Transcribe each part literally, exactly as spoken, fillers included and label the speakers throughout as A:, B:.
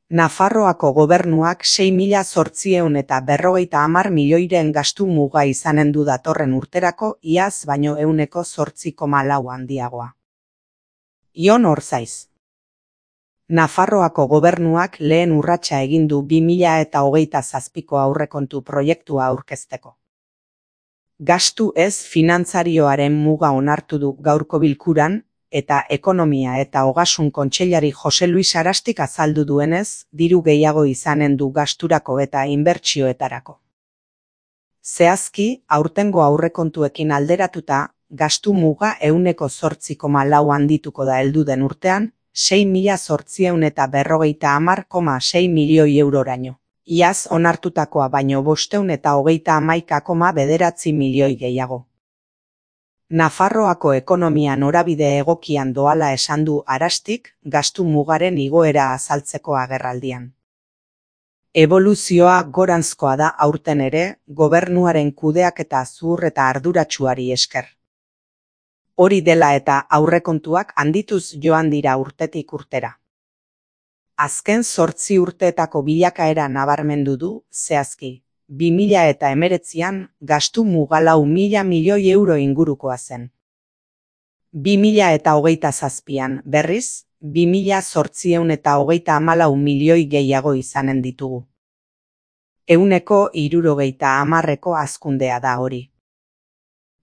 A: Nafarroako gobernuak sei mila zortziehun eta berrogeita hamar milioiren gastu muga izanen du datorren urterako, iaz baino ehuneko zortzi koma lau handiagoa. Ion Orzaiz. Nafarroako gobernuak lehen urratsa egin du bi mila eta hogeita zazpiko aurrekontu proiektua aurkezteko. Gastu ez finantzarioaren muga onartu du gaurko bilkuran, eta Ekonomia eta Ogasun Kontseilari Jose Luis Arastik azaldu duenez, diru gehiago izanen du gasturako eta inbertsioetarako. Zehazki, aurtengo aurrekontuekin alderatuta, gastu muga ehuneko zortzi koma lau handituko da heldu den urtean, sei mila zortziehun eta berrogeita hamar koma sei milioi euroraino. Iaz onartutakoa baino bostehun eta hogeita hamaika koma bederatzi milioi gehiago. Nafarroako ekonomia norabide egokian doala esan du Arastik, gastu mugaren igoera azaltzeko agerraldian. Eboluzioa goranzkoa da aurten ere, gobernuaren kudeaketa zuhur eta arduratsuari esker. Hori dela eta aurrekontuak handituz joan dira urtetik urtera. Azken zortzi urteetako bilakaera nabarmendu du, zehazki. bi mila eta hemeretzian gastu muga lau mila milioi euro ingurukoa zen. bi mila eta hogeita zazpian, berriz, bi mila zortziehun eta hogeita hamalau milioi gehiago izanen ditugu. Ehuneko hirurogeita hamarreko hazkundea da hori.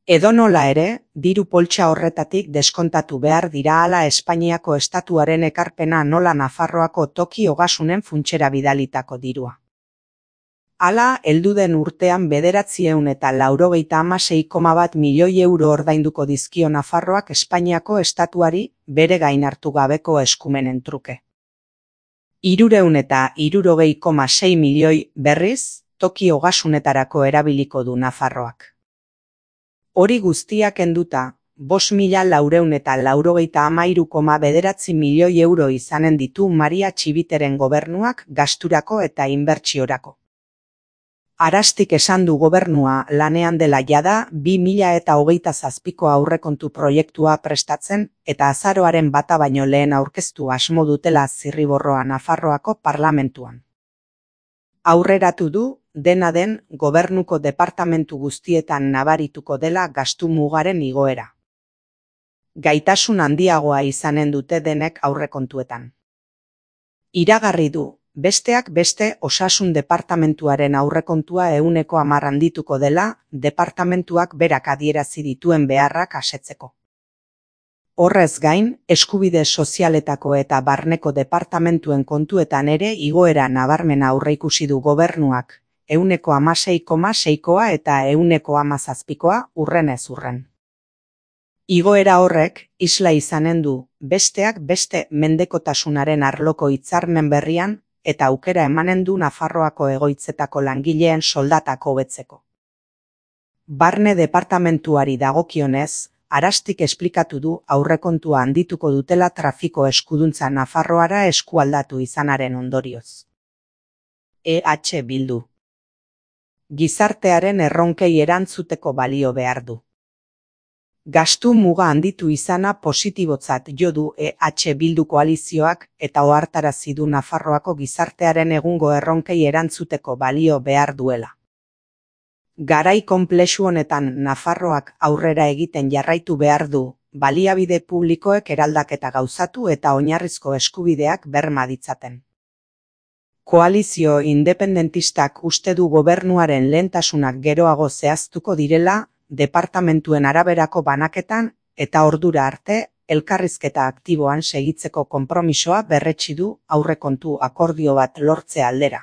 A: Edonola ere, diru poltsa horretatik deskontatu behar dira hala Espainiako estatuaren ekarpena nola Nafarroako toki ogasunen funtsera bidalitako dirua. Hala, heldu den urtean bederatziehun eta laurogeita hamasei koma bat milioi euro ordainduko dizkio Nafarroak Espainiako estatuari bere gain hartu gabeko eskumenen truke. Hirurehun eta hirurogei koma sei milioi berriz, toki ogasunetarako erabiliko du Nafarroak. Hori guztiak kenduta, bost mila laurehun eta laurogeita hamairu koma bederatzi milioi euro izanen ditu Maria Txibiteren gobernuak gasturako eta inbertsiorako. Arastik esan du gobernua lanean dela jada bi mila eta hogeita zazpiko aurrekontu proiektua prestatzen eta azaroaren bata baino lehen aurkeztu asmo dutela zirriborroa Nafarroako parlamentuan. Aurreratu du, dena den gobernuko departamentu guztietan nabarituko dela gastu mugaren igoera. Gaitasun handiagoa izanen dute denek aurrekontuetan. Iragarri du, besteak beste osasun departamentuaren aurrekontua ehuneko hamar handituko dela, departamentuak berak adierazi dituen beharrak asetzeko. Horrez gain, eskubide sozialetako eta barneko departamentuen kontuetan ere igoera nabarmena aurreikusi du gobernuak, ehuneko hamasei koma seikoa eta ehuneko hamazazpikoa urrenez urren. Igoera horrek, isla izanen du, besteak beste mendekotasunaren arloko hitzarmen berrian, eta aukera emanen du Nafarroako egoitzetako langileen soldatak hobetzeko. Barne departamentuari dagokionez, Arastik esplikatu du aurrekontua handituko dutela trafiko eskuduntza Nafarroara eskualdatu izanaren ondorioz. E H Bildu. Gizartearen erronkei erantzuteko balio behar du. Gastu muga handitu izana positibotzat jo du E H Bildu koalizioak eta ohartarazi du Nafarroako gizartearen egungo erronkei erantzuteko balio behar duela. Garai konplexu honetan Nafarroak aurrera egiten jarraitu behar du, baliabide publikoek eraldaketa gauzatu eta oinarrizko eskubideak berma ditzaten. Koalizio independentistak uste du gobernuaren lehentasunak geroago zehaztuko direla, departamentuen araberako banaketan eta ordura arte elkarrizketa aktiboan segitzeko konpromisoa berretsi du aurrekontu akordio bat lortze aldera.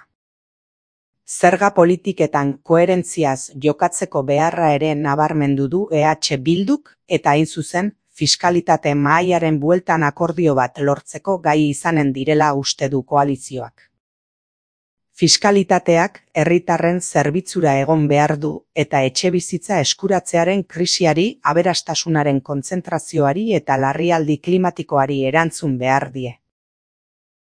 A: Zerga politiketan koherentziaz jokatzeko beharra ere nabarmendu du E H Bilduk eta hain zuzen fiskalitate mahaiaren bueltan akordio bat lortzeko gai izanen direla uste du koalizioak. Fiskalitateak herritarren zerbitzura egon behar du eta etxebizitza eskuratzearen krisiari, aberastasunaren kontzentrazioari eta larrialdi klimatikoari erantzun behar die.